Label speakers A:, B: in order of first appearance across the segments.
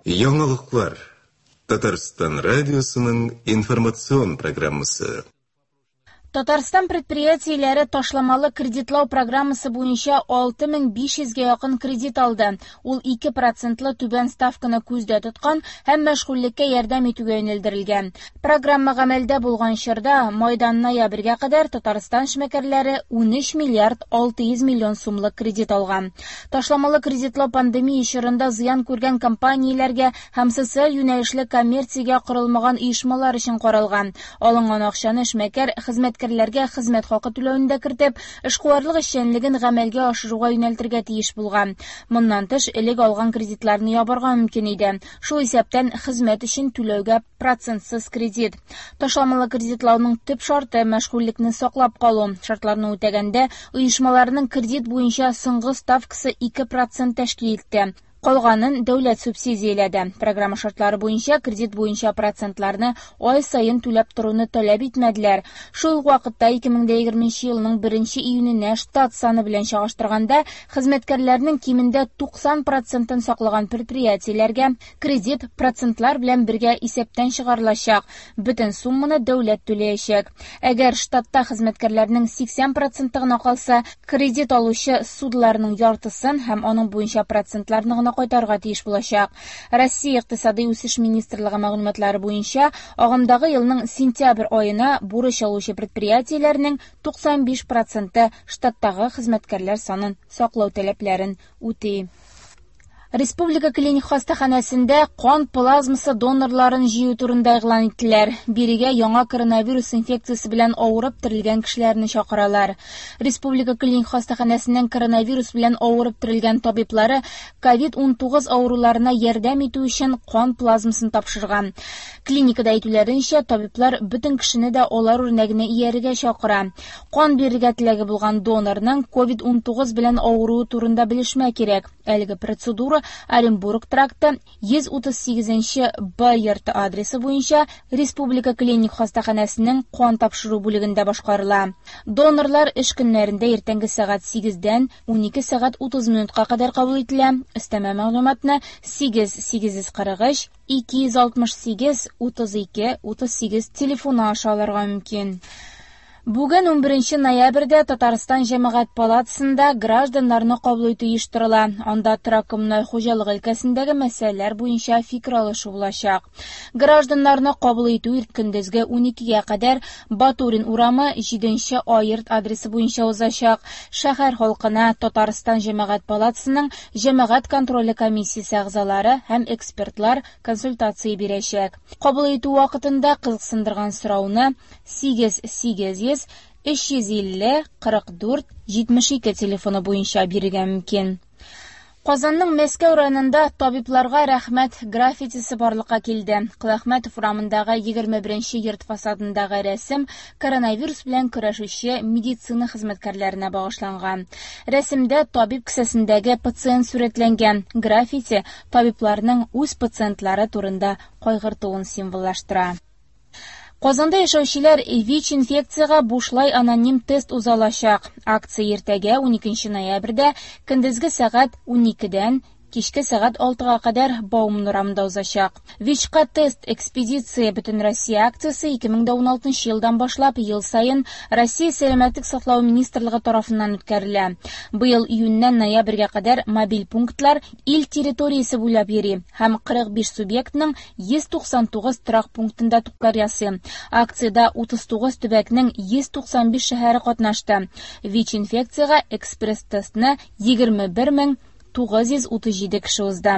A: Яңалыклар. Татарстан радиосының информацион программасы.
B: Татарстан предприятиеләре ташламалы кредитлау программасы буенча 6500 гә якын кредит алды. Ул 2 процентлы түбән ставканы күздә тоткан һәм мәшгульлеккә ярдәм итүгә юнәлдерелгән. Программа гамәлдә булган чорда, майдан ноябрьгә кадәр Татарстан эшмәкәрләре 13 миллиард 600 миллион сумлык кредит алган. Ташламалы кредитлау пандемия чорында зыян күргән компанияләргә һәм социаль юнәлешле коммерциягә корылмаган оешмалар өчен каралган. Алынган акчаны эшмәкәр хезмәткәрләргә хезмәт хакы түләүне дә кертеп, эшкуарлык эшчәнлеген гамәлгә ашыруга юнәлтергә тиеш булган. Моннан тыш, элек алган кредитларны ябарга мөмкин иде. Шул исәптән хезмәт өчен түләүгә процентсыз кредит. Ташламалы кредитлауның төп шарты мәшгульлекне саклап калу. Шартларны үтәгәндә, оешмаларның кредит буенча соңгы ставкасы 2% тәшкил итте. Калганын дәүләт субсидияләде. Программа шартлары буенча кредит буенча процентларны ай саен түләп торуны таләп итмәделәр. Шул ук вакытта 2020 елның 1 июненә штат саны белән чагыштырганда хезмәткәрләрнең кимендә 90 процентын саклаган предприятиеләргә кредит процентлар белән бергә исәптән чыгарылачак. Бөтен сумманы дәүләт түләячәк. Әгәр штатта хезмәткәрләрнең 80 проценты гына калса, кредит алучы ссудаларның яртысын һәм аның буенча процентларны гына кайтарырга тиеш булачак. Россия Икътисадый үсеш министрлыгы мәгълүматлары буенча, агымдагы елның сентябрь аена бурыч алучы предприятиеләрнең 95 проценты штаттагы хезмәткәрләр санын саклау таләпләрен үти. Республика клиник хастаханәсендә кан плазмасы донорларын җыю турында игълан иттеләр. Бирегә яңа коронавирус инфекциясе белән авырып терелгән кешеләрне чакыралар. Республика клиник хастаханәсенең коронавирус белән авырып терелгән табиблары COVID-19 авыруларына ярдәм итү өчен кан плазмасын тапшырган. Клиникада әйтүләренчә, табиблар бөтен кешене дә алар үрнәгенә иярергә чакыра. Кан бирергә теләге булган донорның COVID-19 белән авыруы турында белешмә кирәк. Әлеге процедура Оренбург тракты 138 Б йорты адресы буенча Республика клиник хастаханәсенең кан тапшыру бүлегендә башкарыла. Донорлар эш көннәрендә иртәнге сәгать 8-дән 12 сәгать 30 минутка кадәр кабул ителә. Өстәмә мәгълүматны 8 843 268 32 38 телефоны аша алырга мөмкин. Бүген 11 ноябрьдә Татарстан Җәмәгать палатасында гражданнарны кабул итү оештырыла. Анда торак-коммуналь хуҗалык өлкәсендәге мәсьәләләр буенча фикер алышу булачак. Гражданнарны кабул итү көндезге 12-гә кадәр Батурин урамы 7 А йорт адресы буенча узачак. Шәһәр халкына Татарстан Җәмәгать палатасының Җәмәгать контроле комиссиясе әгъзалары һәм экспертлар консультация бирәчәк. Кабул итү вакытында кызыксындырган сорауны 8 800 350 44 72 телефоны буенча бирергә мөмкин. Казанның Мәскәү районында табибларга рәхмәт граффитисы барлыкка килде. Коләхмәтов урамындагы 21 йорт фасадындагы рәсем коронавирус белән көрәшүче медицина хезмәткәрләренә багышланган. Рәсемдә табиб кесәсендәге пациент сурәтләнгән. Граффити табибларның үз пациентлары турында кайгыртуын символлаштыра. Казанда яшәүчеләр ВИЧ инфекциягә бушлай аноним тест уза алачак. Акция иртәгә 12 ноябрьдә көндезге сәгать 12-дән кичке сәгать 6-га кадәр Бауман урамында узачак. ВИЧка тест экспедиция Бөтенроссия акциясе 2016 елдан башлап ел саен Россия Сәламәтлек саклау министрлыгы тарафыннан үткәрелә. Быел июньнән ноябрьгә кадәр мобиль пунктлар ил территориясе буйлап йөри һәм 45 субъектның 199 торак пунктында туклар ясый. Акциядә 39 төбәкнең 195 шәһәре катнашты. ВИЧ инфекциягә экспресс-тестны 21 937 кеше узды.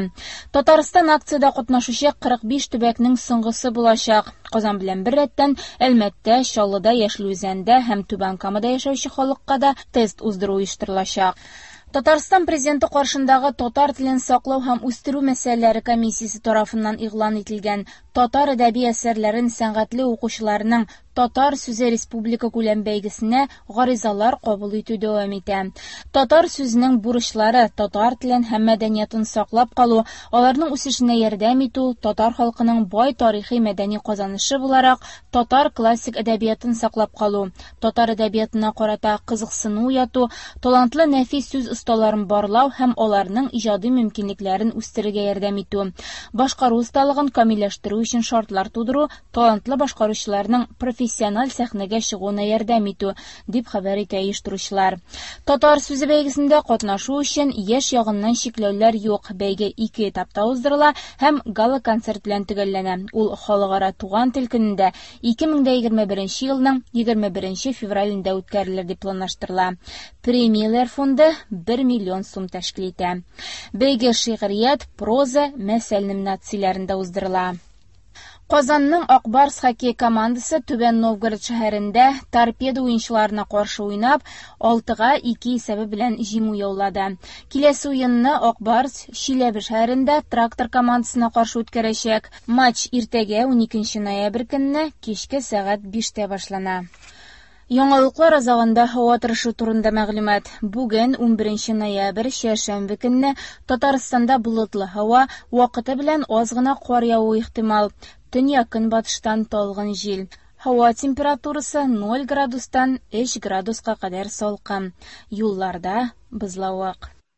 B: Татарстан акциядә катнашучы 45 төбәкнең соңгысы булачак. Казан белән бер рәттән Әлмәттә, Чаллыда, Яшел Үзәндә һәм Түбән Камада яшәүче халыкка да тест уздыру оештырылачак. Татарстан президенты каршындагы татар телен саклау һәм үстерү мәсьәләләре комиссиясе тарафыннан игълан ителгән Татар әдәби әсәрләрен сәнгатьле укучыларның Татар сүзе республика күләм бәйгесенә гаризалар кабул итү дәвам итә. Татар сүзенең бурычлары татар телен һәм мәдәниятын саклап калу, аларның үсешенә ярдәм итү, татар халкының бай тарихи-мәдәни казанышы буларак татар классик әдәбиятын саклап калу, татар әдәбиятына карата кызыксыну уяту, талантлы нәфис сүз осталарын барлау һәм аларның иҗади мөмкинлекләрен үстерергә ярдәм итү, башкару осталыгын камилләштерү өчен шартлар тудыру, талантлы башкаручыларның профессиональ сәхнәгә чыгуына ярдәм итү, дип хәбәр итә оештыручылар. Татар сүзе бәйгесендә катнашу өчен яшь ягыннан чикләүләр юк. Бәйге ике этапта уздырыла һәм гала-концерт белән төгәлләнә. Ул Халыкара туган тел көнендә 2021 елның 21 февралендә үткәрелер дип планлаштырыла. Премияләр фонды 1 миллион сум тәшкил итә. Бәйге шигърият, проза, мәсәл номинацияләрендә уздырыла. Казанның Ак Барс хоккей командасы Түбән Новгород шәһәрендә Торпедо уенчыларына каршы уйнап, 6-га 2 исәбе белән җиңү яулады. Киләсе уенны Ак Барс Чиләбе шәһәрендә Трактор командасына каршы үткәрәчәк. Матч иртәгә 12 ноябрь көнне кичке сәгать 5-тә башлана. Яңалыклар азагында һава торышы турында мәгълүмат. Бүген, 11 ноябрь, чәршәмбе көнне Татарстанда болытлы һава, вакыты белән аз гына кар явуы ихтимал. Төньяк-көнбатыштан талгын җил. Һава температурасы 0 градустан 3 градуска кадәр салкын. Юлларда бозлавык.